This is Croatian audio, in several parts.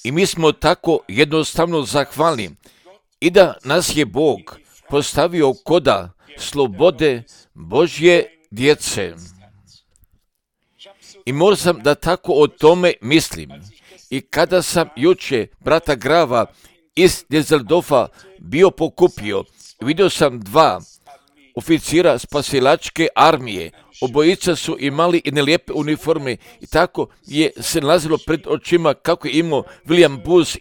I mi smo tako jednostavno zahvalni i da nas je Bog postavio koda slobode Božje djece. I moram da tako o tome mislim. I kada sam juče brata Grava iz Düsseldorfa bio pokupio, vidio sam dva oficira spasilačke armije. Obojica su imali jedne lijepe uniforme i tako je se nalazilo pred očima kako je imao William Booth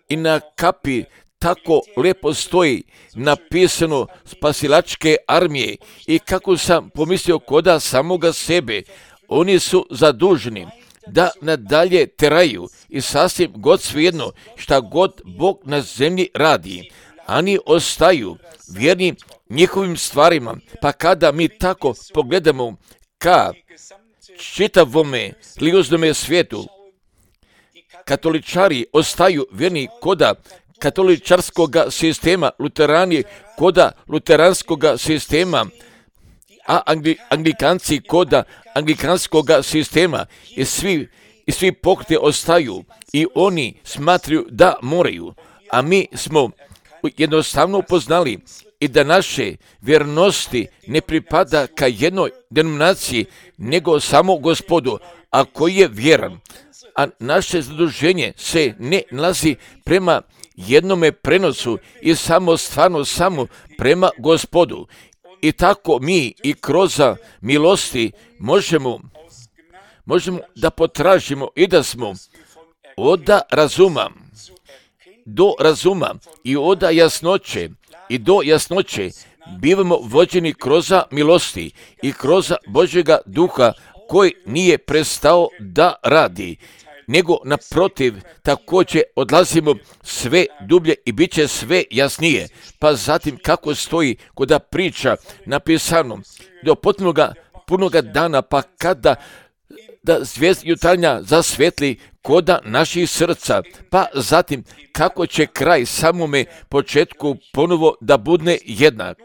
i na kapi tako lijepo stoji napisano spasilačke armije i kako sam pomislio koda samoga sebe. Oni su zaduženi da nadalje teraju i sasvim god svejedno šta god Bog na zemlji radi. Oni ostaju vjerni njihovim stvarima, pa kada mi tako pogledamo ka čitavome religioznome svijetu, katoličari ostaju vjerni koda katoličarskoga sistema, luterani koda luteranskoga sistema, a anglikanci koda anglikanskoga sistema i svi pokreti ostaju i oni smatraju da moraju, a mi smo jednostavno upoznali i da naše vjernosti ne pripada ka jednoj denominaciji, nego samo Gospodu, a koji je vjeran. A naše zaduženje se ne nalazi prema jednome prenosu i samo prema Gospodu. I tako mi i kroz milosti možemo da potražimo i da smo od razuma do razuma i od jasnoće i do jasnoće bivamo vođeni kroz milosti i kroz Božjega duha koji nije prestao da radi, nego naprotiv također odlazimo sve dublje i bit će sve jasnije. Pa zatim kako stoji koda priča napisano do punoga dana, pa kada da zvijezda jutarnja zasvetli koda naših srca, pa zatim kako će kraj samome početku ponovo da bude jednak.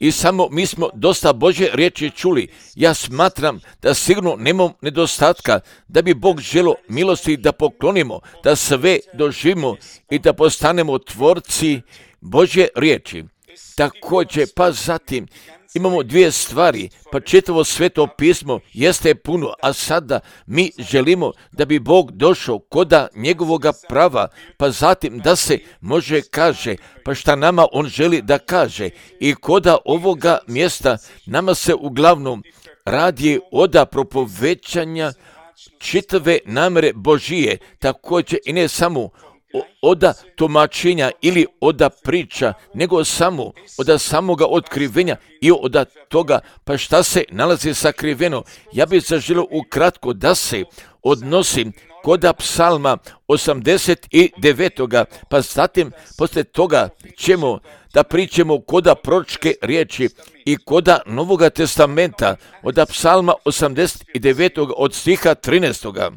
I samo mi smo dosta Božje riječi čuli. Ja smatram da sigurno nemamo nedostatka, da bi Bog želio milosti da poklonimo, da sve doživimo i da postanemo tvorci Božje riječi. Također, pa zatim imamo dvije stvari, pa čitavo sveto pismo jeste puno, a sada mi želimo da bi Bog došao koda njegovoga prava, pa zatim da se može kaže, pa šta nama on želi da kaže. I koda ovoga mjesta nama se uglavnom radi od propovećanja čitave namere Božije, također i ne samo od tumačenja ili od priča, nego samo od samoga otkrivenja i od toga pa šta se nalazi sakriveno. Ja bih zaželio ukratko da se odnosim kod psalma 89. Pa zatim poslije toga ćemo da pričamo koda proročke riječi i koda Novoga testamenta od psalma 89. od stiha 13.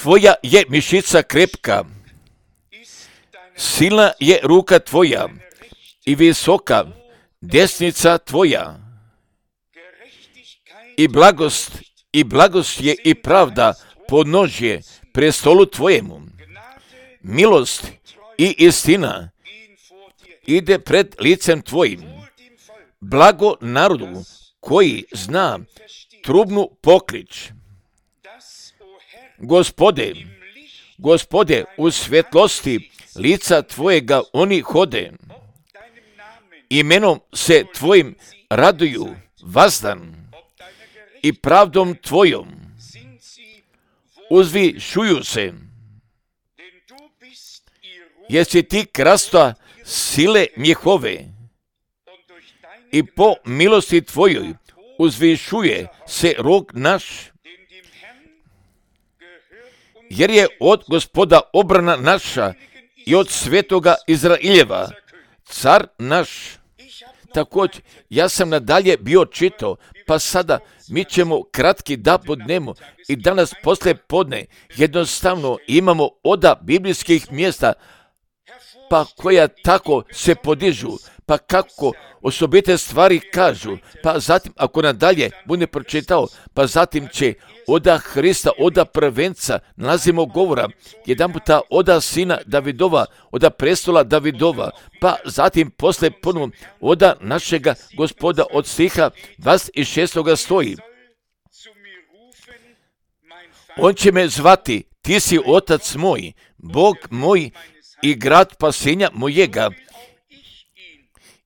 Tvoja je mišica krepka, silna je ruka tvoja i visoka desnica tvoja. I blagost je i pravda podnožje prestolu tvojemu. Milost i istina ide pred licem tvojim. Blago narodu koji zna trubnu poklič. Gospode, u svjetlosti lica tvojega oni hode. Imenom se tvojim raduju vazdan i pravdom tvojom uzvišuju se. Jesi ti krasta sile njihove i po milosti tvojoj uzvišuje se rog naš. Jer je od Gospoda obrana naša i od svetoga Izraeljeva car naš. Također, ja sam nadalje bio čitao, pa sada mi ćemo kratki da podnemo i danas poslije podne jednostavno imamo od biblijskih mjesta, pa koja tako se podižu, pa kako osobite stvari kažu, pa zatim ako nadalje bude pročitao, pa zatim će oda Hrista, oda prvenca, nalazimo govora, jedan puta oda sina Davidova, oda prestola Davidova, pa zatim posle ponovo oda našega Gospoda od stiha 26. stoji. On će me zvati, ti si otac moj, Bog moj i grad spasenja mojega.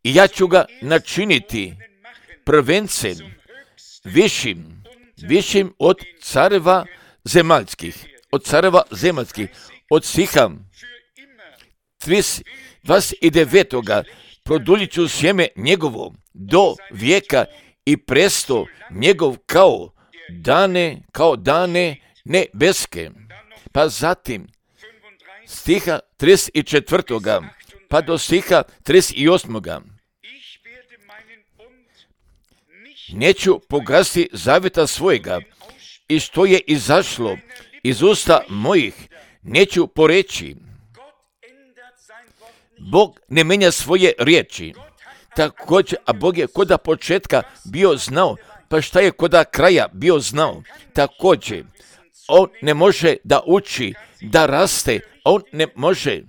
I ja ću ga načiniti prvencem, višim od careva zemaljskih, od stiha 29. Produljit ću sjeme njegovo do vijeka i presto njegov kao dane nebeske. Pa zatim stiha 34. pa do stiha 38. Neću pogasiti zavjeta svojega i što je izašlo iz usta mojih, neću poreći. Bog ne menja svoje riječi. Također, a Bog je koda početka bio znao, pa šta je koda kraja bio znao. Također, on ne može da uči, da raste, on ne može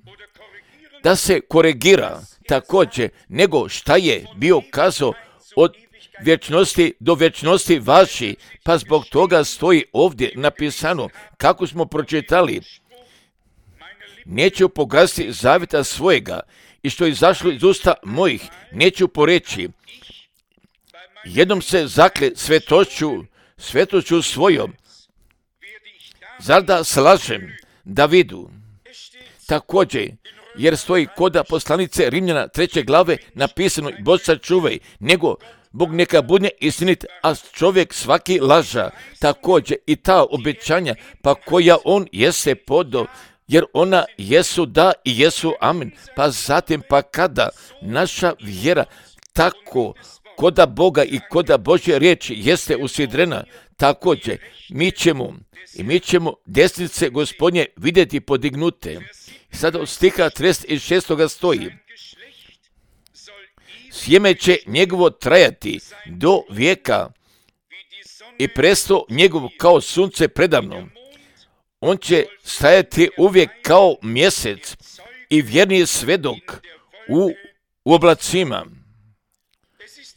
da se koregira također, nego šta je bio kazao od vječnosti do vječnosti vaši, pa zbog toga stoji ovdje napisano, kako smo pročitali, neću pogasiti zavjeta svojega i što je izašlo iz usta mojih, neću poreći. Jednom se zakle svetošću svojom, zar da slažem Davidu? Također, jer stoji koda poslanice Rimljana 3. glave napisano, Bog sačuvaj, nego Bog neka bude istinit, a čovjek svaki laža. Također i ta obećanja, pa koja on jeste podo, jer ona jesu da i jesu amen. Pa zatim, pa kada naša vjera tako koda Boga i koda Božje riječi jeste usidrena, također mi ćemo desnice Gospodnje vidjeti podignute. Sada od stiha 36. stoji, sjeme će njegovo trajati do vijeka i presto njegov kao sunce predavno. On će stajati uvijek kao mjesec i vjerni svedok u oblacima.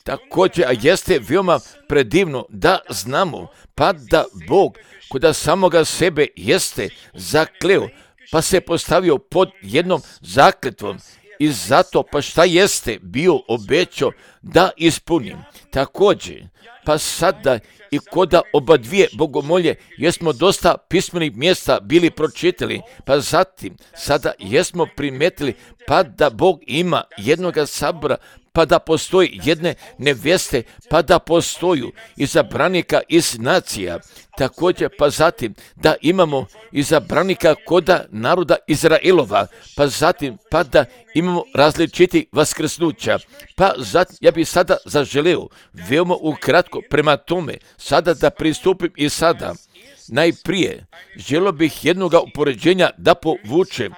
Također, a jeste veoma predivno da znamo, pa da Bog koda samoga sebe jeste zakleo, pa se postavio pod jednom zakletvom i zato pa šta jeste bio obećao da ispunim. Također, pa sada i koda oba dvije bogomolje jesmo dosta pismenih mjesta bili pročitali, pa zatim sada jesmo primetili pa da Bog ima jednoga sabora, pa da postoji jedne nevjeste, pa da postoju izabranika iz nacija. Također, pa zatim da imamo izabranika koda naroda Izraelova, pa zatim pa da imamo različitih vaskrsnuća. Pa zatim, ja bih sada zaželeo veoma ukratko prema tome, sada da pristupim i sada. Najprije, želio bih jednoga upoređenja da povučem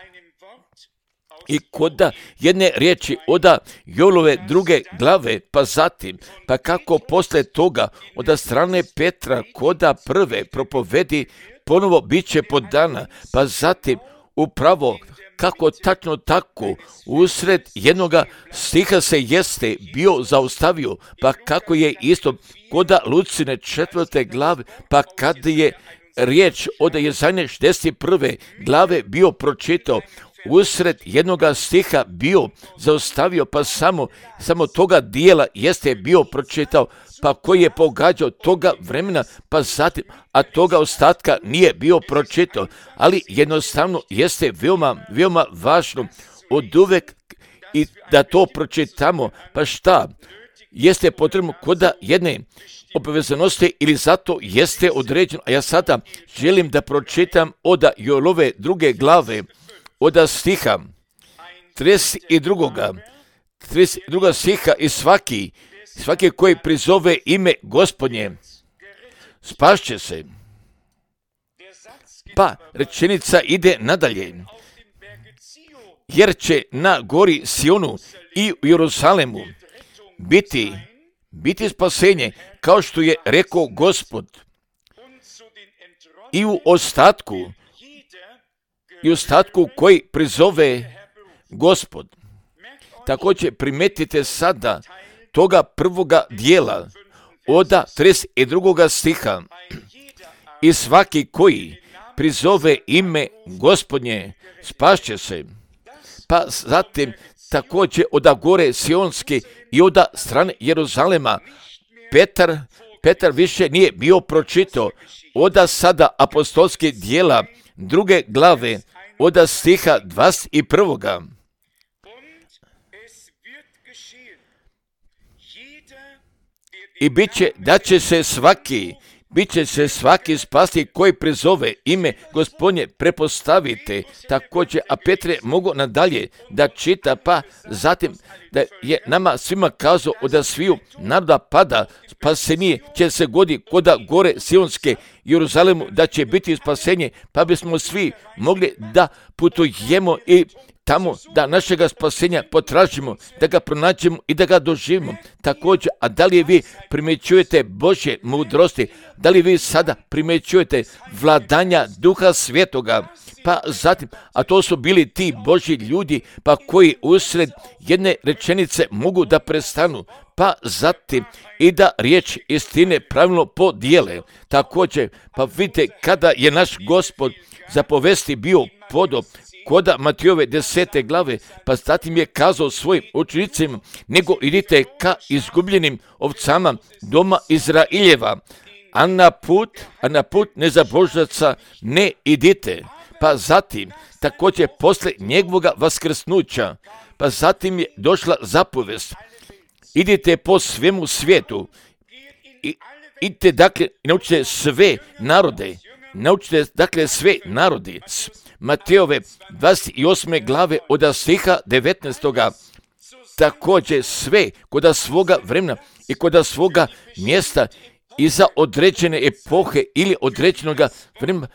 i koda jedne riječi oda Jolove 2. glave, pa zatim, pa kako posle toga oda strane Petra koda 1. propovedi ponovo bit će podana, pa zatim upravo kako tačno tako usred jednoga stiha se jeste bio zaustavio, pa kako je isto koda Lucine 4. glave, pa kada je riječ od Jezajne 61. glave bio pročitao, usred jednoga stiha bio zaustavio, pa samo toga dijela jeste bio pročitao, pa koji je pogađao toga vremena, pa zatim, a toga ostatka nije bio pročitao, ali jednostavno jeste veoma važno od uvek i da to pročitamo, pa šta jeste potrebno koda jedne obavezanosti ili zato jeste određeno, a ja sada želim da pročitam od Jolove 2. glave, od stiha 32. stiha i svaki koji prizove ime Gospodnje spašće se. Pa rečenica ide nadalje. jer će na gori Sionu i u Jeruzalemu biti spasenje, kao što je rekao Gospod. I u ostatku koji prizove Gospod. Također primetite sada toga prvoga dijela od 32. stiha. I svaki koji prizove ime Gospodnje spašće se. Pa zatim također od gore Sionske i od strane Jeruzalema Petar više nije bio pročitao od sada apostolske dijela 2. glave od stiha 21. I bit će se svaki spasti koji prizove ime Gospodnje, prepostavite također, a Petre mogu nadalje da čita, pa zatim da je nama svima kazao od sviju naroda pada spasenje će se goditi kod gore Sionske Jeruzalemu, da će biti spasenje, pa bismo svi mogli da putujemo i tamo da našega spasenja potražimo, da ga pronađemo i da ga doživimo. Također, a da li vi primjećujete Božje mudrosti, da li vi sada primjećujete vladanja Duha Svetoga, pa zatim, a to su bili ti Božji ljudi, pa koji usred jedne rečenice mogu da prestanu, pa zatim i da riječ istine pravilno podijele. Također, pa vidite kada je naš Gospod zapovesti bio podob, koda Matijove 10. glave, pa zatim je kazao svojim učenicima, nego idite ka izgubljenim ovcama doma Izraeljeva, a na put nezabožaca ne idite. Pa zatim, također posle njegovoga vaskrsnuća, pa zatim je došla zapovest, idite po svemu svijetu, idite dakle, naučite sve narode, Matejove 28. glave od stiha 19. Također sve kod svoga vremena i kod svoga mjesta i za određene epohe ili određenog vremena,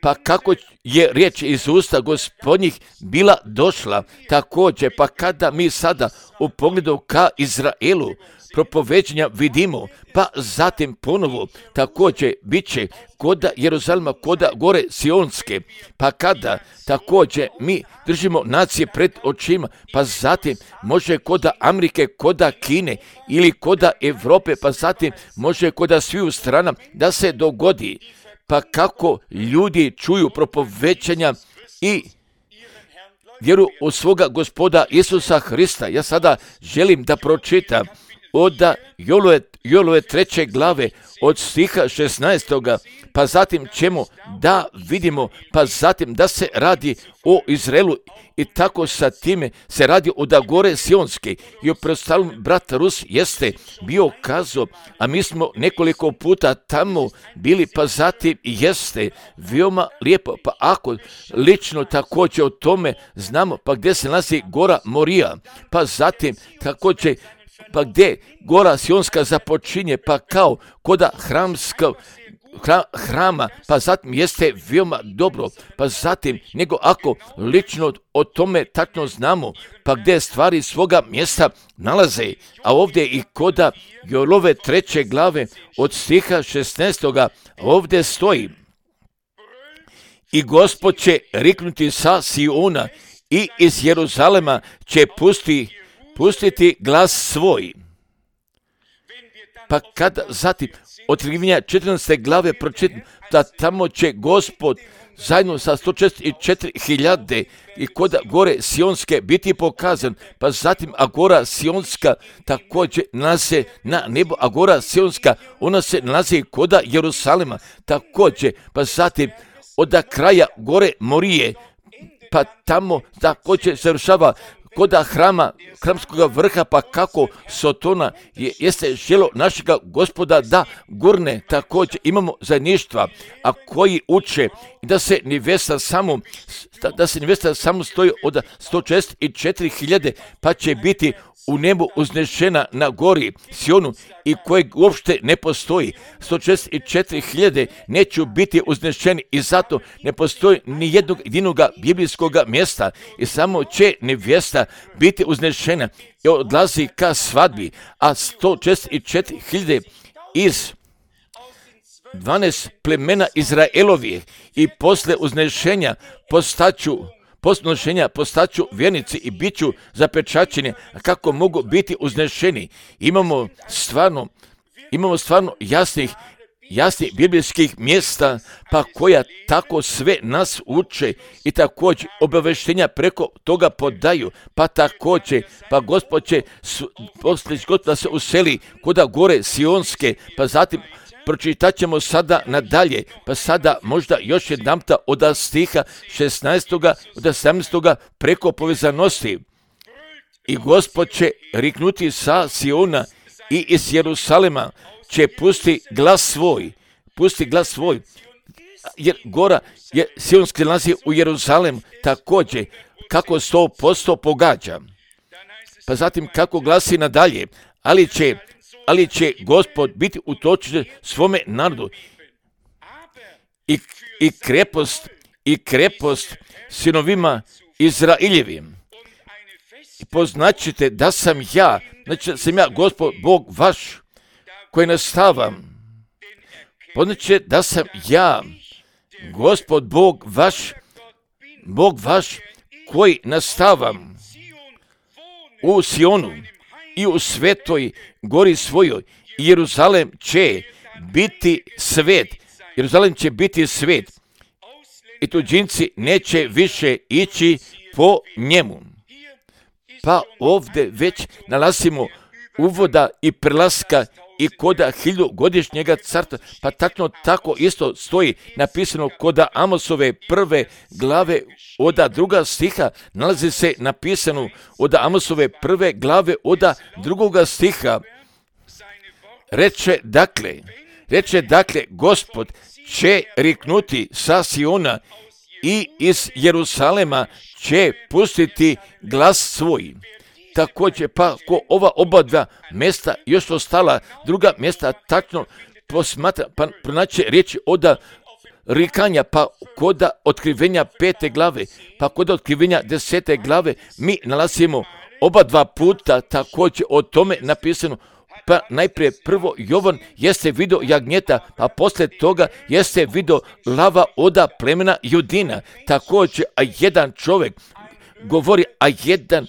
pa kako je riječ iz usta Gospodnjih bila došla. Također, pa kada mi sada u pogledu ka Izraelu propoveđenja vidimo, pa zatim ponovo također bit će kod Jeruzalema, kod gore Sionske, pa kada također mi držimo nacije pred očima, pa zatim može kod Amerike, kod Kine ili kod Europe, pa zatim može kod sviju strana da se dogodi. Pa kako ljudi čuju propovećanja i vjeru u svoga Gospoda Isusa Hrista. Ja sada želim da pročitam od Jolove 3. glave od stiha 16. pa zatim ćemo da vidimo, pa zatim da se radi o Izraelu i tako sa time se radi od gore Sionske. I u preostalom brat Rus jeste bio kazao, a mi smo nekoliko puta tamo bili, pa zatim jeste veoma lijepo, pa ako lično također o tome znamo, pa gdje se nalazi gora Morija, pa zatim također pa gdje gora Sionska započinje, pa kao koda hrama, pa zatim jeste veoma dobro, pa zatim nego ako lično o tome tačno znamo, pa gdje stvari svoga mjesta nalaze, a ovdje i koda Jolove 3. glave od stiha 16. ovdje stoji: i Gospod će riknuti sa Siona i iz Jeruzalema će pustiti glas svoj. Pa kada zatim Otkrivenja 14. glave pročitam, da tamo će Gospod zajedno sa 144.000 i kod gore Sionske biti pokazan, pa zatim a gora Sionska također nalazi na nebo, a gora Sionska ona se nalazi kod Jerusalema također, pa zatim od kraja gore Morije, pa tamo također završava kod hramskog vrha, pa kako Sotona jeste želo našega Gospoda da gurne. Također imamo zajedništva, a koji uče da se nevesta samo stoji od 144.000, pa će biti u nebu uznešena na gori Sionu i kojeg uopšte ne postoji. 144.000 neću biti uznešeni i zato ne postoji ni jednog jedinoga biblijskog mjesta i samo će nevjesta biti uznešena i odlazi ka svadbi, a 144.000 iz 12 plemena Izraelovih i posle uznešenja postaću vjernici i bit ću zapečaćeni. A kako mogu biti uznešeni? Imamo stvarno jasnih biblijskih mjesta, pa koja tako sve nas uče i također obaveštenja preko toga podaju, pa također, pa Gospod će poslije da se useli kuda gore Sionske, pa zatim pročitat ćemo sada nadalje, pa sada možda još jedanputa od stiha 16. od 17. preko povezanosti. I Gospod će riknuti sa Siona i iz Jerusalema će pusti glas svoj, jer gora je Sionski nalazi u Jeruzalem također, kako 100% pogađa. Pa zatim kako glasi nadalje, ali će Gospod biti utočen svome narodu i krepost sinovima Izraeljevim. I poznaćete da sam ja, znači da sam ja Gospod Bog vaš koji nastavam. Poznaćete da sam ja Gospod Bog vaš koji nastavam u Sionu i u svetoj gori svojoj. Jeruzalem će biti svet i tuđinci neće više ići po njemu. Pa ovdje već nalazimo uvoda i prelaska i koda 1000-godišnjega carstva, pa tako isto stoji napisano koda Amosove 1. glave od 2. stiha, nalazi se napisano od Amosove 1. glave od 2. stiha. Reče dakle, Gospod će riknuti sa Siona i iz Jerusalema će pustiti glas svoj. Također, pa ko ova oba dva mjesta još ostala, druga mjesta tačno posmatra, pa pronaće riječi od rikanja, pa koda otkrivenja 5. glave, pa koda otkrivenja 10. glave, mi nalazimo oba dva puta također o tome napisano. Pa najprije prvo Jovan jeste vidio jagnjeta, a poslije toga jeste vidio lava od plemena Judina. Također, a jedan čovjek govori, a jedan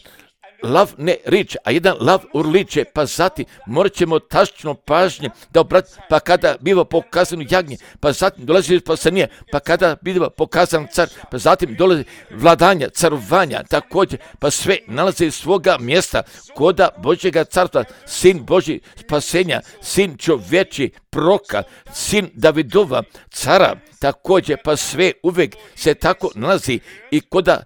lav ne riče, a jedan lav urliče, pa zatim morat ćemo tačno pažnje da obratimo, pa kada biva pokazano jagnje, pa zatim dolazi spasenje, pa kada biva pokazan car, pa zatim dolazi vladanja, carovanja, također, pa sve nalazi svoga mjesta koda Božjega carstva, sin Božji spasenja, sin čovječi proka, sin Davidova cara, također, pa sve uvijek se tako nalazi i koda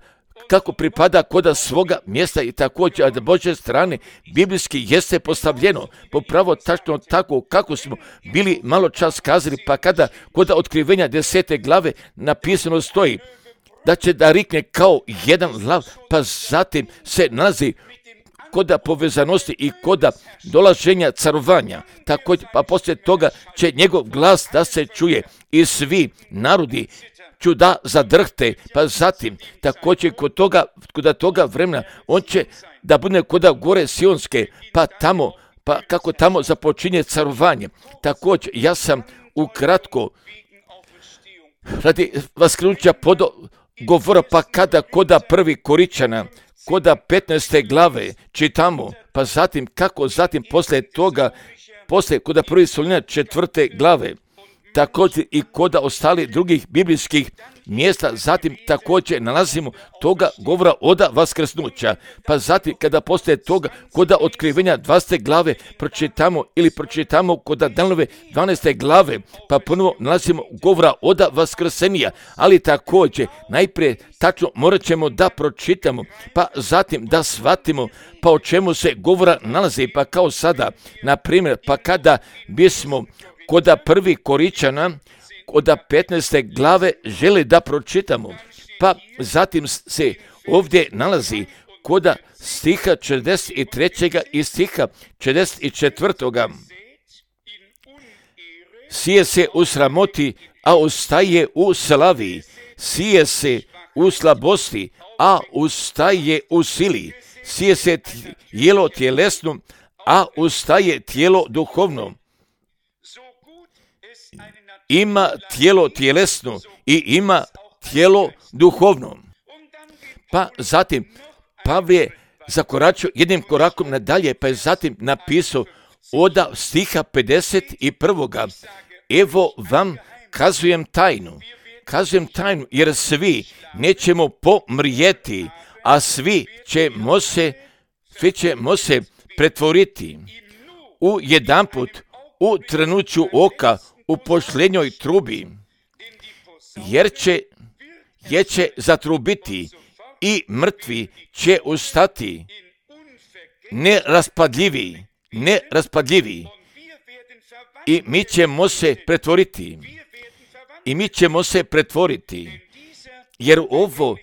kako pripada koda svoga mjesta i također od Božje strane biblijski jeste postavljeno popravo tačno tako kako smo bili malo čas kazali, pa kada koda otkrivenja 10. glave napisano stoji da će da rikne kao jedan lav, pa zatim se nalazi koda povezanosti i koda dolaženja carovanja. Također, pa poslije toga će njegov glas da se čuje i svi narodi ću da zadrhte, pa zatim također kod toga vremena on će da bude koda gore Sionske, pa kako tamo započinje carovanje. Također ja sam ukratko radi vaskrenuća govora, pa kada koda 1. Koričana, koda 15. glave čitamo, pa zatim kako zatim poslije koda 1. Solunjana 4. glave, također i koda ostali drugih biblijskih mjesta, zatim također nalazimo toga govora od vaskrsnuća, pa zatim kada poslije toga koda otkrivenja 20. glave pročitamo koda Danilove 12. glave, pa ponovo nalazimo govora od vaskrsenja, ali također najprije tačno morat ćemo da pročitamo, pa zatim da shvatimo pa o čemu se govora nalazi, pa kao sada, na primjer, pa kada bismo koda 1. Koričana, koda 15. glave želi da pročitamo, pa zatim se ovdje nalazi koda stiha 43. i stiha 44. Sije se u sramoti, a ustaje u slavi. Sije se u slabosti, a ustaje u sili. Sije se tijelo tjelesno, a ustaje tijelo duhovno. Ima tijelo tjelesno i ima tijelo duhovno. Pa zatim Pavle je zakoračio jednim korakom nadalje, pa je zatim napisao od stiha 51. Evo vam kazujem tajnu, jer svi nećemo pomrijeti, a svi ćemo se pretvoriti u jedanput, u trenuću oka, u posljednjoj trubi, jer će zatrubiti i mrtvi će ustati, neraspadljivi, i mi ćemo se pretvoriti, jer ovo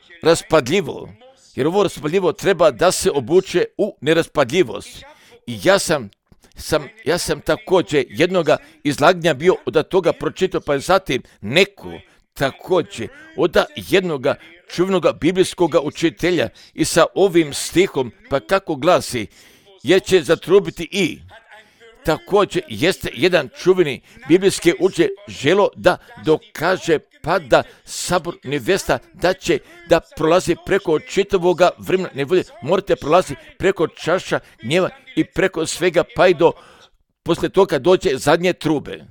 raspadljivo treba da se obuče u neraspadljivost. I ja sam također jednoga izlaganja bio od toga pročitao, pa je zatim neko također od jednoga čuvenoga biblijskog učitelja i sa ovim stihom, pa kako glasi, jer će zatrubiti i također jeste jedan čuveni biblijski učitelj želo da dokaže pa da sabor nevesta da prolazi preko čitavoga vremena, ne bude, morate prolaziti preko čaša gnjeva i preko svega, pa i do poslije toga dođe zadnje trube.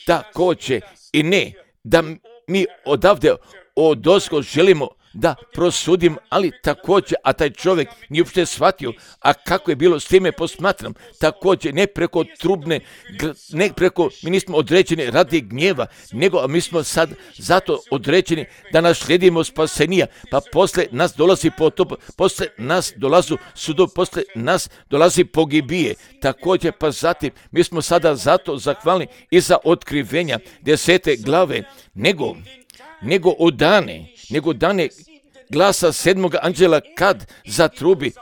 Također i ne da mi odavde odozgo želimo da prosudim, ali također, a taj čovjek nije uopšte shvatio, a kako je bilo s time posmatram, također ne preko trubne, mi nismo određeni radi gnjeva, nego mi smo sad zato određeni da naslijedimo spasenija, pa posle nas dolazi potop, posle nas dolazu sudov, posle nas dolazi pogibije, također pa zatim mi smo sada zato zahvalni i za otkrivenja 10. glave, nego u dane glasa 7. anđela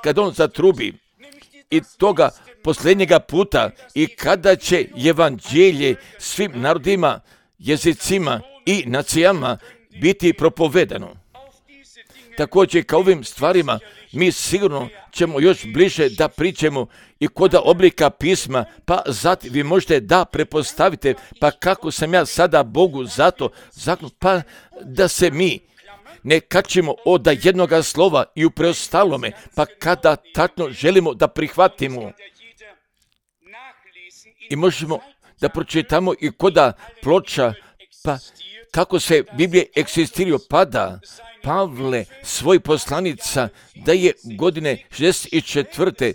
kad on zatrubi i toga posljednjega puta i kada će evanđelje svim narodima, jezicima i nacijama biti propovedano. Također kao ovim stvarima mi sigurno ćemo još bliže da pričamo i kod oblika pisma, pa zatim vi možete da prepostavite, pa kako sam ja sada Bogu zato zaknut, pa da se mi ne kačimo od jednoga slova i u preostalome, pa kada tačno želimo da prihvatimo i možemo da pročitamo i koda ploča, pa kako se Biblije eksistiraju, pada Pavle svoj poslanica da je godine 64.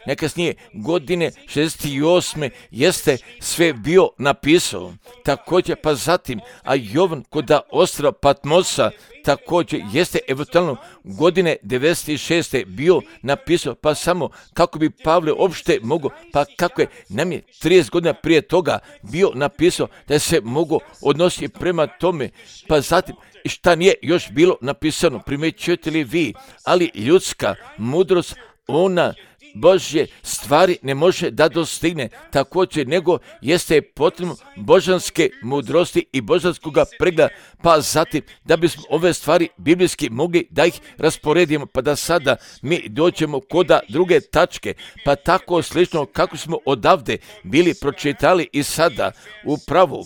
najkasnije godine 68. jeste sve bio napisao. Također pa zatim, a Jovan koda ostrva Patmosa također jeste eventualno godine 96. bio napisao, pa samo kako bi Pavle uopšte mogao, pa kako je nam je 30 godina prije toga bio napisao da se mogu odnositi prema tome, pa zatim šta nije još bilo napisano, primjećujete li vi, ali ljudska mudrost, ona Božje stvari ne može da dostigne, također nego jeste potrebno božanske mudrosti i božanskoga pregleda, pa zatim da bismo ove stvari biblijski mogli da ih rasporedimo, pa da sada mi dođemo koda druge tačke, pa tako slično kako smo odavde bili pročitali i sada upravo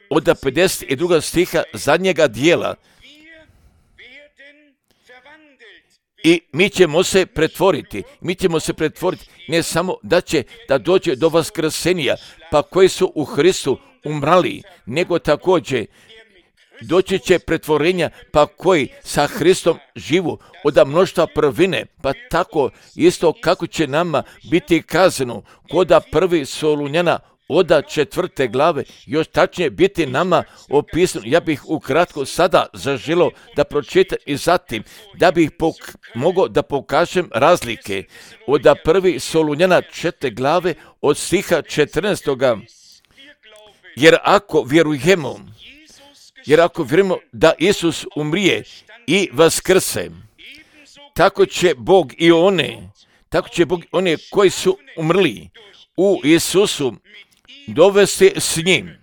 od 52. stiha zadnjega dijela. I mi ćemo se pretvoriti, ne samo da dođe do vaskrsenja, pa koji su u Hristu umrali, nego također doći će pretvorenja, pa koji sa Hristom živu od mnoštva prvine, pa tako isto kako će nama biti kazano koda 1. Solunjana od 4. glave, još tačnije biti nama opisano. Ja bih ukratko sada zaželio da pročitam i zatim da bih mogao da pokažem razlike od 1. Solunjana 4. glave od stiha 14. Jer ako vjerujemo da Isus umrije i vaskrse, tako će Bog i one koji su umrli u Isusu dovesti s njim.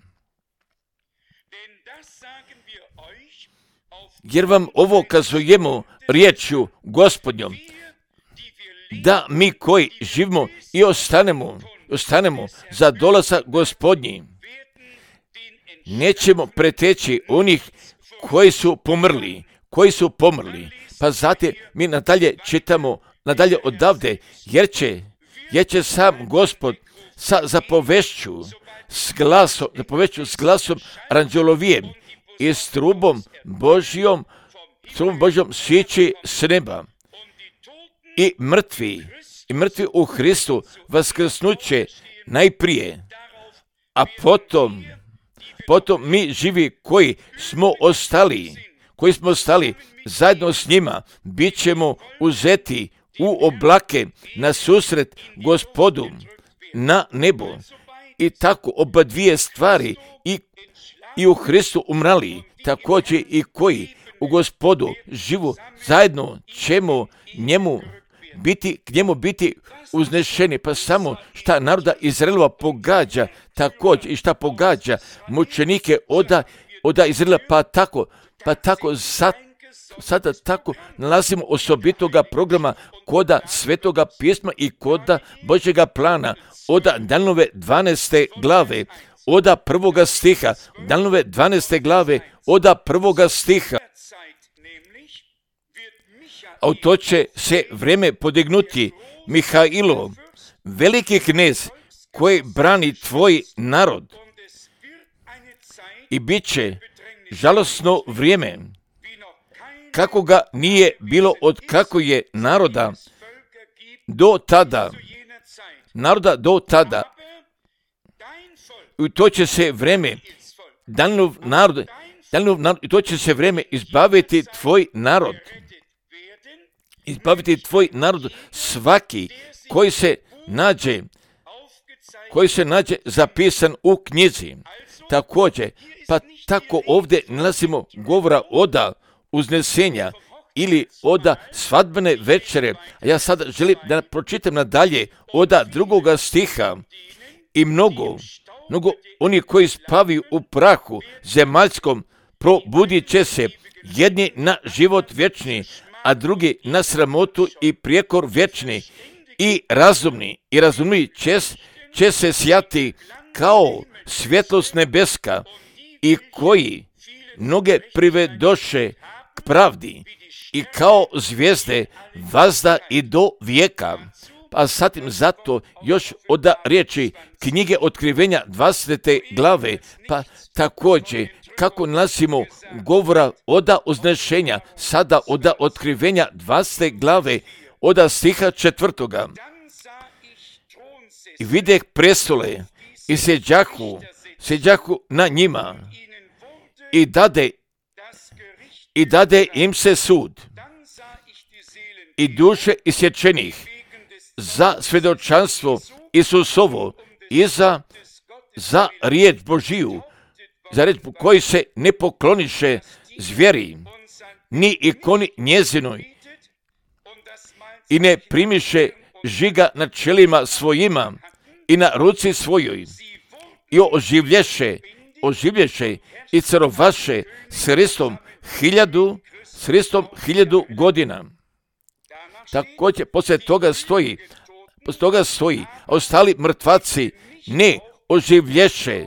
Jer vam ovo kazujemo riječju Gospodnjom, da mi koji živimo i ostanemo za dolazak Gospodnji, nećemo preteći onih koji su pomrli. Pa zatim mi nadalje čitamo, nadalje odavde, jer će sam Gospod sa zapovešću s glasom aranđelovijem i s trubom Božjom sići s neba. I mrtvi u Hristu vaskrsnuće najprije, a potom mi živi koji smo ostali zajedno s njima, bit ćemo uzeti u oblake na susret Gospodu na nebo. I tako oba dvije stvari i u Hristu umrali, također i koji u Gospodu živu, zajedno ćemo k njemu biti uznešeni. Pa samo šta naroda Izraelova pogađa, također i šta pogađa mučenike oda Izraela, pa tako sada tako nalazimo osobitoga programa koda Svetoga pisma i koda Božjega plana oda Danilove 12. glave oda 1. stiha, Danilove 12. glave oda 1. stiha. A u to će se vreme podignuti Mihailo, veliki knez koji brani tvoj narod, i bit će žalosno vrijeme, kako ga nije bilo od kako je naroda do tada. I to će se vreme, Danilov narod, i to će se vreme izbaviti tvoj narod, svaki koji se nađe zapisan u knjizi. Također, pa tako ovdje nalazimo govora oda uznesenja ili oda svadbene večere. A ja sada želim da pročitam nadalje oda 2. stiha. I mnogo oni koji spavaju u prahu zemaljskom probudit će se, jedni na život vječni, a drugi na sramotu i prijekor vječni. I razumni će se sjati kao svjetlost nebeska, i koji noge privedoše k pravdi, i kao zvijezde vazda i do vijeka. A zatim zato još oda riječi knjige Otkrivenja 20. glave, pa također kako nalazimo govora oda uznešenja, sada oda Otkrivenja 20. glave oda stiha 4. I videh prestole i sjeđahu na njima, i dade im se sud, i duše isječenih za svjedočanstvo Isusovo i za riječ Božiju, za riječ koji se ne pokloniše zvjeri, ni ikoni njezinoj, i ne primiše žiga na čelima svojima i na ruci svojoj, i oživlješe i carovaše s Hristom 1000 godina. Također poslije toga stoji, a ostali mrtvaci ne oživlješe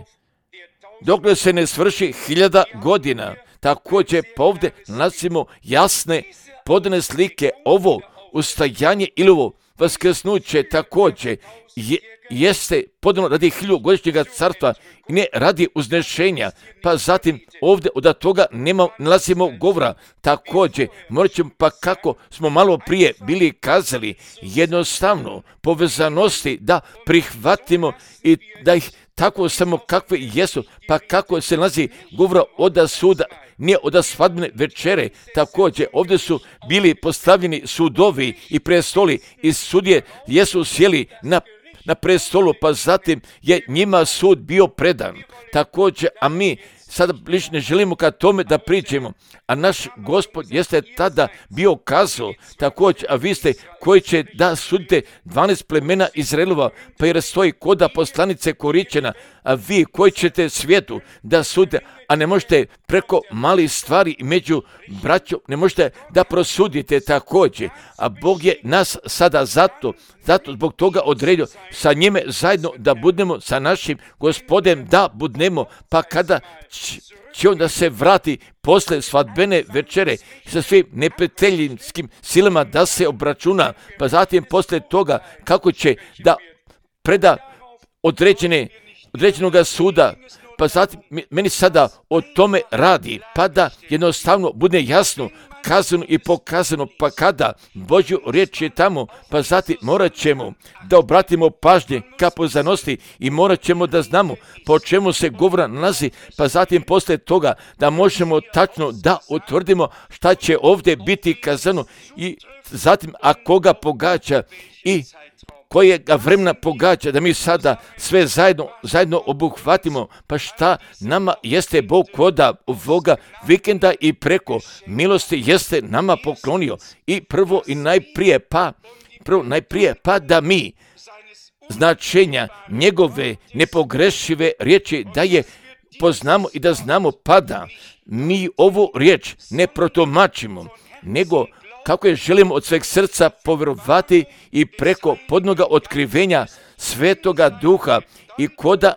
dokle se ne svrši 1000 godina. Također pa ovdje nalazimo jasne podane slike. Ovo ustajanje ili ovo vaskrsnuće također jeste podano radi 1000-godišnjega carstva i ne radi uznešenja. Pa zatim ovdje od toga nalazimo govora. Također morat ćemo, pa kako smo malo prije bili kazali, jednostavno povezanosti da prihvatimo i da ih tako samo kakve jesu, pa kako se nalazi govora oda suda, nije oda svadbene večere. Također ovdje su bili postavljeni sudovi i prestoli i sudje jesu sjeli na prestolu, pa zatim je njima sud bio predan. Također, a mi sada bliže ne želimo ka tome da priđemo, a naš Gospod jeste tada bio kazao također, a vi ste koji će da sudite 12 plemena Izraelova, pa jer stoji koda poslanice Koričena, a vi koji ćete svijetu da sudite, a ne možete preko malih stvari među braćom, ne možete da prosudite također, a Bog je nas sada zato zbog toga odredio sa njime zajedno da budemo sa našim Gospodem, da budemo, pa kada će onda se vrati posle svadbene večere sa svim neprijateljskim silama da se obračuna, pa zatim posle toga kako će da preda određenoga suda, pa zatim meni sada o tome radi, pa da jednostavno bude jasno, kazano i pokazano, pa kada Božju riječ je tamo, pa zatim morat ćemo da obratimo pažnje ka poznanosti i morat ćemo da znamo po čemu se govora nalazi, pa zatim posle toga da možemo tačno da utvrdimo šta će ovdje biti kazano i zatim a koga pogađa i kojega vremena pogađa, da mi sada sve zajedno obuhvatimo, pa šta nama jeste Bog koda ovoga vikenda i preko milosti jeste nama poklonio i prvo i najprije pa da mi značenja njegove nepogrešive riječi da je poznamo i da znamo, pa da mi ovu riječ ne protumačimo, nego kako je želimo od sveg srca povjerovati i preko podnoga otkrivenja Svetoga Duha i koda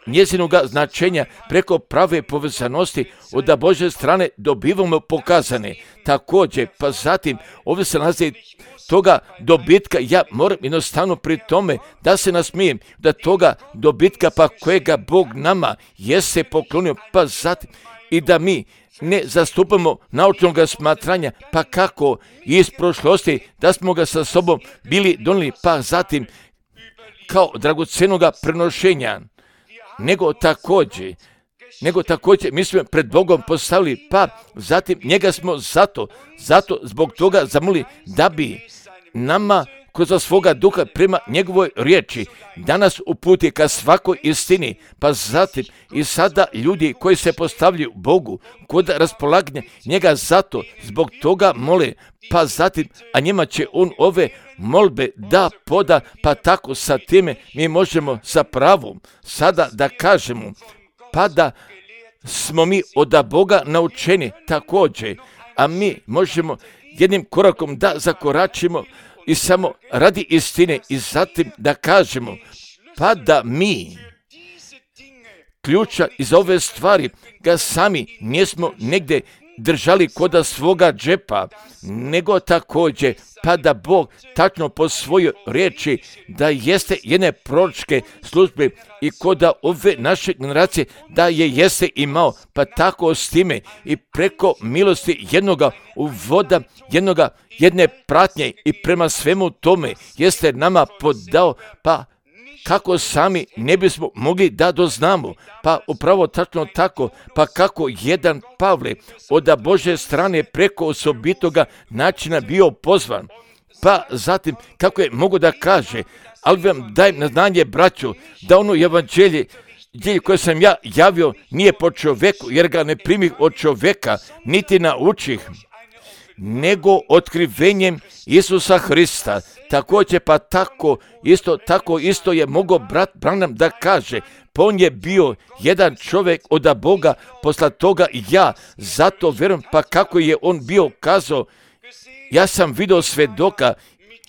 njezinoga značenja preko prave povezanosti od Božje strane dobivamo pokazane. Također, pa zatim ovdje se nalazi toga dobitka, ja moram jednostavno pri tome da se nasmijem, da toga dobitka pa kojega Bog nama jeste poklonio, pa zatim i da mi ne zastupamo naučnog smatranja, pa kako iz prošlosti da smo ga sa sobom bili donijeli, pa zatim kao dragocenoga prenošenja, nego također mi smo pred Bogom postavili, pa zatim njega smo zato zbog toga zamolili da bi nama kroz svoga duha prema njegovoj riječi danas uputi ka svakoj istini, pa zatim i sada ljudi koji se postavljaju Bogu kod raspolaganja njega zbog toga mole, pa zatim a njima će on ove molbe da poda, pa tako sa time mi možemo sa pravom sada da kažemo, pa da smo mi od Boga naučeni također, a mi možemo jednim korakom da zakoračimo i samo radi istine i zatim da kažemo, pa da mi ključa iz ove stvari ga sami nismo negdje držali koda svoga džepa, nego također pa da Bog tačno po svojoj riječi da jeste jedne proročke službe i koda ove naše generacije da je jeste imao, pa tako s time i preko milosti jednoga uvoda, jedne pratnje i prema svemu tome jeste nama podao, pa kako sami ne bismo mogli da doznamo, pa upravo tačno tako, pa kako jedan Pavle od Božje strane preko osobitoga načina bio pozvan, pa zatim kako je mogo da kaže, ali vam dajem na znanje, braćo, da ono evanđelje koje sam ja javio nije po čoveku, jer ga ne primih od čoveka, niti naučih, nego otkrivenjem Isusa Hrista. Također pa tako isto je mogao brat Branham da kaže, pa on je bio jedan čovjek od Boga, posle toga i ja, zato vjerujem, pa kako je on bio kazao, ja sam vidio svedoka,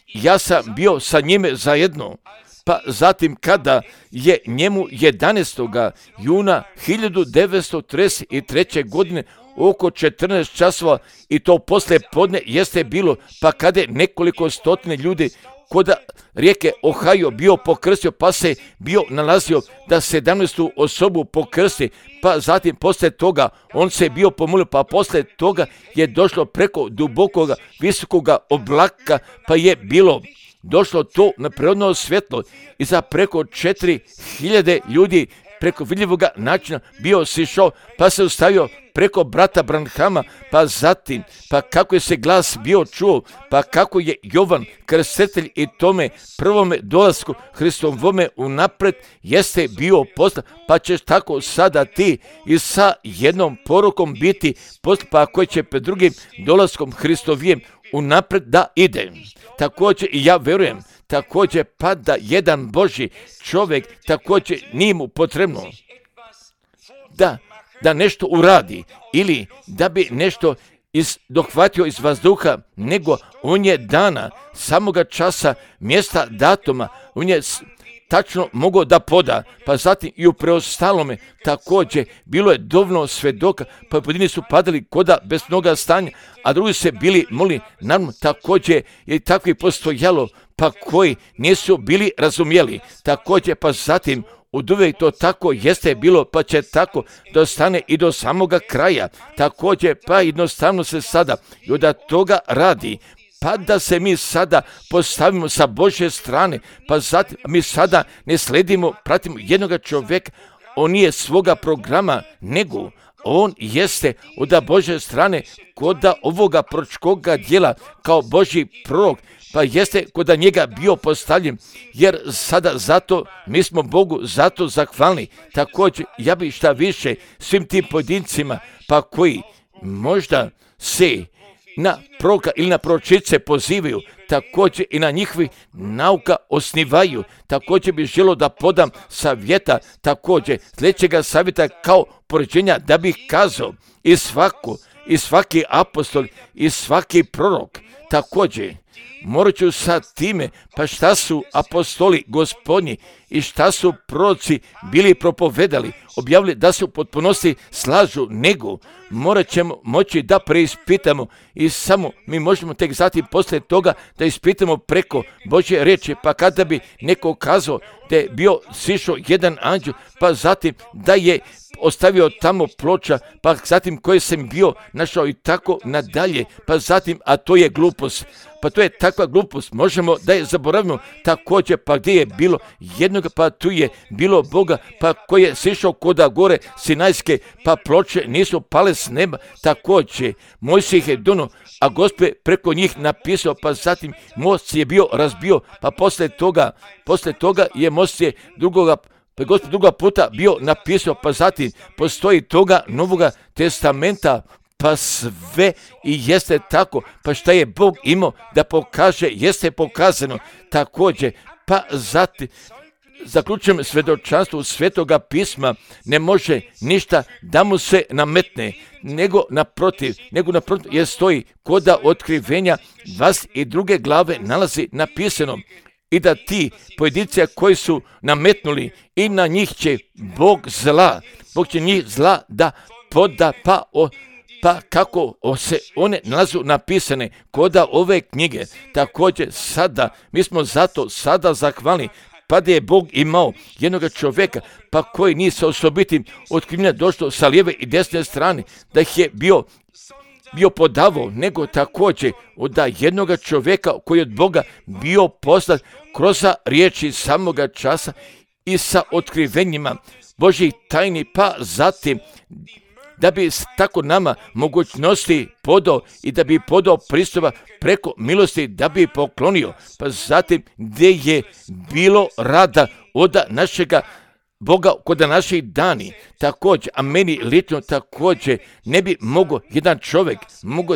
ja sam bio sa njime zajedno, pa zatim kada je njemu 11. juna 1933. godine oko 14 časova i to poslije podne jeste bilo, pa kada je nekoliko stotine ljudi kod rijeke Ohio bio pokrstio, pa se bio nalazio da 17. osobu pokrsti, pa zatim poslije toga on se bio pomolio, pa poslije toga je došlo preko dubokoga visokoga oblaka, pa je bilo došlo to na prirodno svjetlo i za preko 4000 ljudi preko vidljivoga načina bio sišao, pa se ustavio preko brata Branhama, pa zatim, pa kako je se glas bio čuo, pa kako je Jovan krstitelj i tome prvome dolasku Hristovome unapred jeste bio poslan, pa ćeš tako sada ti i sa jednom porukom biti poslan, pa koji će pred drugim dolaskom Hristovijem unapred da ide. Također i ja verujem, također pa da jedan Božji čovjek također nije mu potrebno da nešto uradi ili da bi nešto dohvatio iz vazduha, nego on je dana samoga časa, mjesta, datuma, on je tačno mogao da poda, pa zatim i u preostalome također bilo je dovoljno svedoka, pa pojedini su padali koda bez noga stanja, a drugi se bili molili, naravno također je takvi postojalo, pa koji nisu bili razumjeli, također pa zatim oduvijek to tako jeste bilo, pa će tako da stane i do samoga kraja, također pa jednostavno se sada i od toga radi, pa da se mi sada postavimo sa Božje strane, pa zatim mi sada ne sledimo, pratimo jednoga čovjeka, on nije svoga programa, nego on jeste od Božje strane kod ovoga proročkoga djela kao Božji prorok, pa jeste kod njega bio postavljen, jer sada zato mi smo Bogu zato zahvalni. Također ja bih šta više svim tim pojedincima, pa koji možda se na proroka ili na proročice pozivaju, također i na njihovi nauka osnivaju, također bih želio da podam savjeta, također sljedećega savjeta kao poređenja da bih kazao i svaki apostol i svaki prorok, također morat ću sa time, pa šta su apostoli Gospodnji i šta su proroci bili propovedali, objavili da su u potpunosti slažu, nego morat ćemo moći da preispitamo i samo mi možemo tek zatim poslije toga da ispitamo preko Božje riječi, pa kada bi neko kazao da je bio sišao jedan anđel, pa zatim da je ostavio tamo ploča, pa zatim koje sam bio našao i tako nadalje, pa zatim, a to je glupost. Pa to je takva glupost, možemo da je zaboravimo također, pa gdje je bilo jednog, pa tu je bilo Boga, pa koji je sišao koda gore Sinajske, pa ploče nisu pale s neba, također Mojsije ih je dono, a Gospod preko njih napisao, pa zatim most je bio razbio, pa poslije toga je Mojsije pa Gospod druga puta bio napisao, pa zatim postoji toga Novoga testamenta, pa sve i jeste tako, pa šta je Bog imao da pokaže, jeste pokazano također, pa zatim zaključujem svjedočanstvo Svetoga pisma, ne može ništa da mu se nametne, nego naprotiv, jer stoji koda otkrivenja 22. glave nalazi napisano i da ti pojedinci koji su nametnuli i na njih će Bog će njih zla da poda, pa kako se one nalazu napisane koda ove knjige. Također sada, mi smo zato sada zahvalni, pa da je Bog imao jednog čovjeka, pa koji nije sa osobitim otkrivenja došlo sa lijeve i desne strane, da ih je bio podavao, nego također od jednog čovjeka koji je od Boga bio poslat kroz riječi samoga časa i sa otkrivenjima Božjih tajni, pa zatim da bi tako nama mogućnosti podao i da bi podao pristupa preko milosti, da bi poklonio, pa zatim gdje je bilo rada od našega Boga kod naših dani, također, a meni lično također ne bi mogao jedan čovjek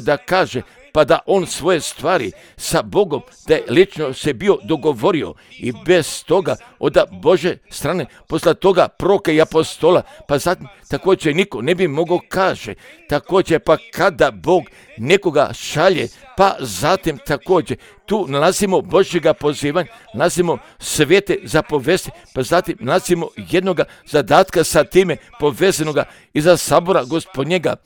da kaže, pa da on svoje stvari sa Bogom, da je lično se bio dogovorio i bez toga od Bože strane, posle toga proroka i apostola, pa zatim također niko ne bi mogao kaže, također pa kada Bog nekoga šalje, pa zatim također tu nalazimo Božjega pozivanja, nalazimo svete zapovesti, pa zatim nalazimo jednoga zadatka sa time povezanoga iza sabora Gospodnjega,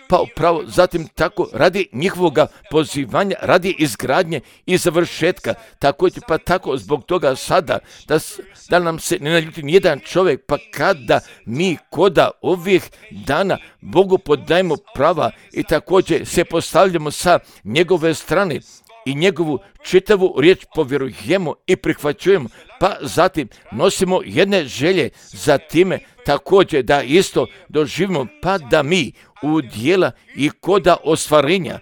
pa upravo zatim tako radi njihovoga pozivanja, radi izgradnje i završetka, također pa tako zbog toga sada da nam se ne naljuti nijedan čovjek, pa kada mi koda ovih dana Bogu podajemo prava i također se postavljamo sa njegove strane i njegovu čitavu riječ povjerujemo i prihvaćujemo, pa zatim nosimo jedne želje za time, također da isto doživimo, pa da mi u dijela i koda ostvarenja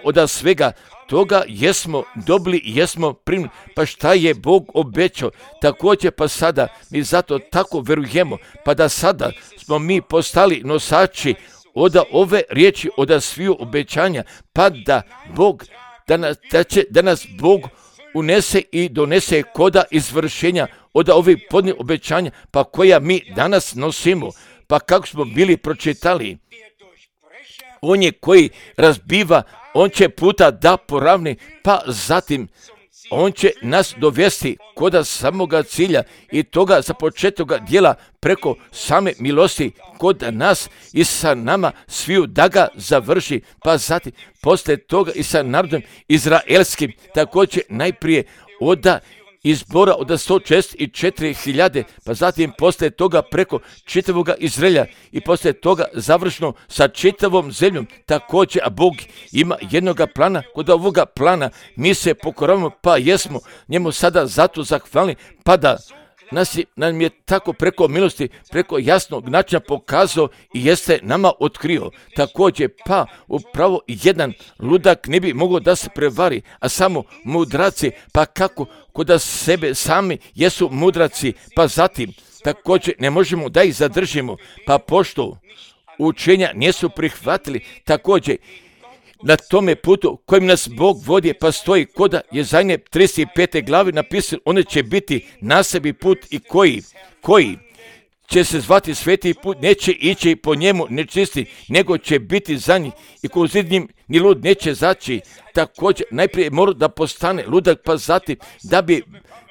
od svega toga jesmo dobili, jesmo primili. Pa šta je Bog obećao, također pa sada mi zato tako verujemo, pa da sada smo mi postali nosači od ove riječi, od sviju obećanja, pa da Bog, da nas Bog unese i donese koda izvršenja od ovih podnih obećanja, pa koja mi danas nosimo, pa kako smo bili pročitali. On je koji razbiva, on će puta da poravni, pa zatim on će nas dovesti koda samoga cilja i toga započetoga dijela preko same milosti kod nas i sa nama sviju da ga završi, pa zatim poslije toga i sa narodom izraelskim, također najprije od izbora od 164.000, pa zatim poslije toga preko čitavoga Izraelja i poslije toga završno sa čitavom zemljom. Također, a Bog ima jednoga plana, kod ovoga plana mi se pokoravamo, pa jesmo njemu sada zato zahvalni, pa da nam je tako preko milosti, preko jasnog načina pokazao i jeste nama otkrio. Također, pa upravo jedan ludak ne bi mogao da se prevari, a samo mudraci, pa kako kod sebe sami jesu mudraci, pa zatim također ne možemo da ih zadržimo, pa pošto učenja nisu prihvatili, također na tome putu kojim nas Bog vodi, pa stoji koda Jezajne 35. glavi napisano, one će biti na sebi put i koji će se zvati sveti put, neće ići po njemu nečisti, nego će biti za njih i ko zid njim ni lud neće zaći. Također najprije mora da postane ludak, pa zatim da bi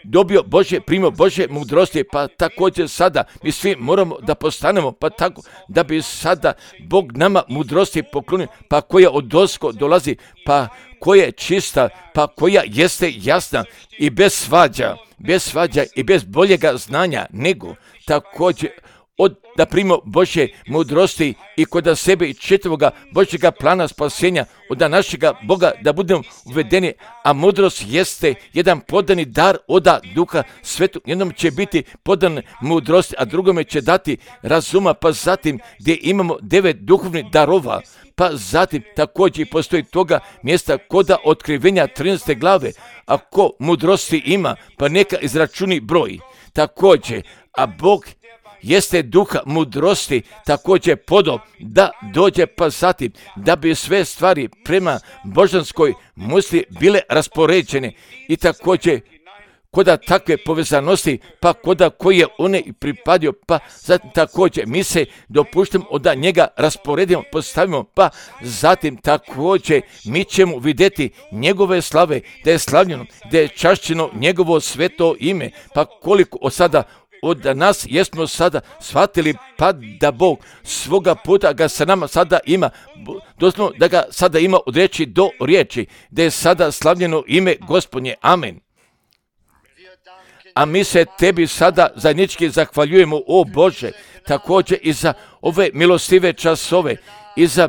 dobio primio Božje mudrosti, pa također sada mi svi moramo da postanemo, pa tako da bi sada Bog nama mudrosti poklonio, pa koja odozgo dolazi, pa koja je čista, pa koja jeste jasna i bez svađa i bez boljega znanja, nego također da primimo Božje mudrosti i kod sebe i čitavoga Božjega plana spasenja od našega Boga da budemo uvedeni, a mudrost jeste jedan podani dar od Duha Svetog. Jednom će biti podan mudrost, a drugome će dati razuma, pa zatim gdje imamo 9 duhovnih darova, pa zatim također postoji toga mjesta koda otkrivenja 13. glave, ako mudrosti ima, pa neka izračuni broj. Također, a Bog jeste duha mudrosti također podo da dođe, pa zatim da bi sve stvari prema božanskoj misli bile raspoređene i također koda takve povezanosti, pa koda koji je one pripadio, pa zatim također mi se dopuštamo da njega rasporedimo, postavimo, pa zatim također mi ćemo vidjeti njegove slave, da je slavljeno, da je čašćeno njegovo sveto ime, pa koliko od sada od nas jesmo sada shvatili, pa da Bog svoga puta ga sa nama sada ima, doslovno da ga sada ima od riječi do riječi, da je sada slavljeno ime Gospodnje. Amen. A mi se tebi sada zajednički zahvaljujemo, o Bože, također i za ove milostive časove, i za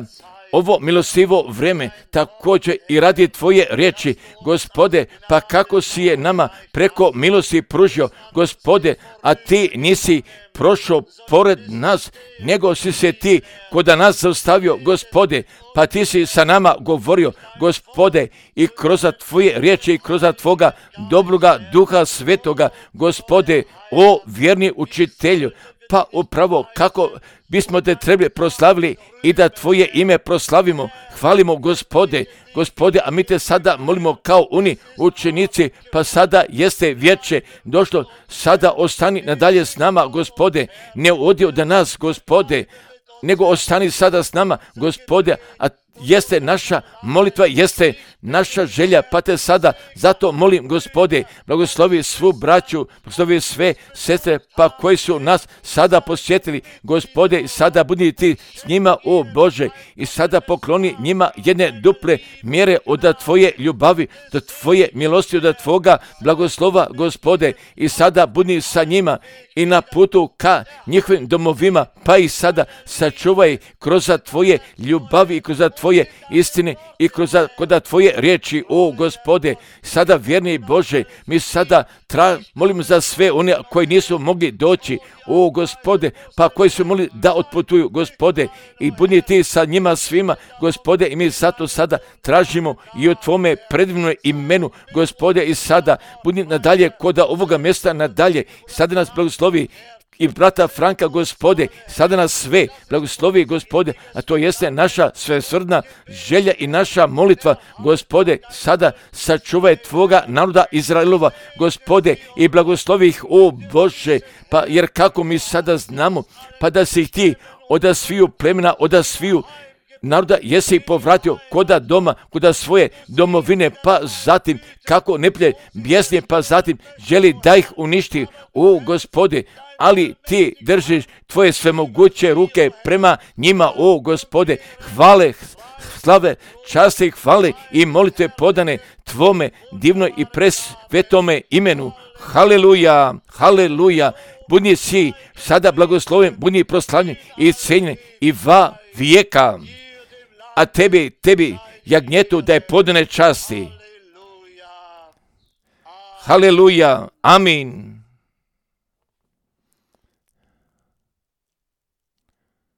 ovo milostivo vreme, također i radi tvoje riječi, Gospode, pa kako si je nama preko milosti pružio, Gospode, a ti nisi prošao pored nas, nego si se ti kod nas zaustavio, Gospode, pa ti si sa nama govorio, Gospode, i kroz tvoje riječi i kroz tvoga dobroga Duha Svetoga, Gospode, o vjerni učitelju, pa upravo kako bismo te trebali proslavili i da tvoje ime proslavimo, hvalimo, Gospode, a mi te sada molimo kao oni učenici, pa sada jeste vijeće došlo, sada ostani nadalje s nama, Gospode, ne odi od nas, Gospode, nego ostani sada s nama, Gospode, a jeste naša molitva, jeste naša želja, pa te sada zato molim, Gospode, blagoslovi svu braću, blagoslovi sve sestre, pa koji su nas sada posjetili, Gospode, i sada budi ti s njima, o Bože, i sada pokloni njima jedne duple mjere od tvoje ljubavi, od tvoje milosti, od tvoga blagoslova, Gospode, i sada budi sa njima i na putu ka njihovim domovima, pa i sada sačuvaj kroz tvoje ljubavi i kroz tvoje Tvoje istine i kod Tvoje riječi, o Gospode, sada vjerni Bože, mi sada molimo za sve one koji nisu mogli doći, o Gospode, pa koji su mogli da otputuju, Gospode, i budi Ti sa njima svima, Gospode, i mi zato sada tražimo i od Tvome predivnom imenu, Gospode, i sada budi nadalje kod ovoga mjesta nadalje, sada nas blagoslovi i brata Franka, Gospode, sada nas sve blagoslovi, Gospode, a to jeste naša svesrdna želja i naša molitva, Gospode, sada sačuvaj Tvoga naroda Izraelova, Gospode, i blagoslovi ih, o Bože, pa jer kako mi sada znamo, pa da si ih Ti od sviju plemena, od sviju naroda jesi povratio koda doma, koda svoje domovine, pa zatim kako neplje bjesnije, pa zatim želi da ih uništi, o Gospode, ali Ti držiš Tvoje svemoguće ruke prema njima, o Gospode, hvale, slave, časti, hvale i molitve podane Tvome divnoj i presvetome imenu. Haleluja, haleluja, budi si sada blagosloven, budi proslavljen i cenjen i va vijeka. A tebi, jagnjetu, da je podane časti. Haleluja, amin.